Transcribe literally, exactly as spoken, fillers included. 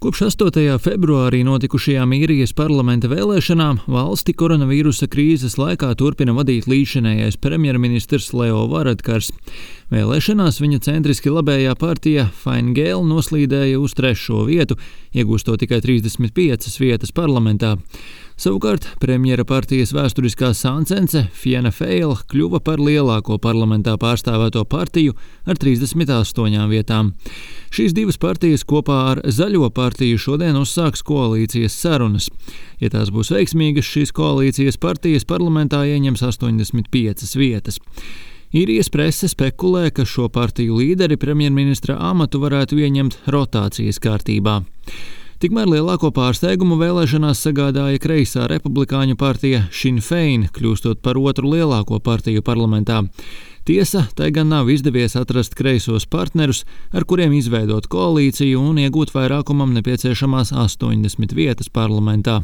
Kopš astotajā februārī notikušajām īrijas parlamenta vēlēšanām valsti koronavīrusa krīzes laikā turpina vadīt līdzinējais premjerministrs Leo Varadkars. Vēlēšanās viņa centriski labējā partija Fine Gael noslīdēja uz trešo vietu, iegūstot tikai trīsdesmit piecas vietas parlamentā. Savukārt premjera partijas vēsturiskā sāncence Fianna Fáil kļuva par lielāko parlamentā pārstāvēto partiju ar trīsdesmit astoņām vietām. Šīs divas partijas kopā ar Zaļo partiju šodien uzsāks koalīcijas sarunas. Ja tās būs veiksmīgas, šīs koalīcijas partijas parlamentā ieņems astoņdesmit piecas vietas. Īrijas prese spekulē, ka šo partiju līderi premjerministra amatu varētu ieņemt rotācijas kārtībā. Tikmēr lielāko pārsteigumu vēlēšanās sagādāja kreisā republikāņu partija Sinn Féin, kļūstot par otru lielāko partiju parlamentā. Tiesa, tai gan nav izdevies atrast kreisos partnerus, ar kuriem izveidot koalīciju un iegūt vairākumam nepieciešamās astoņdesmit vietas parlamentā.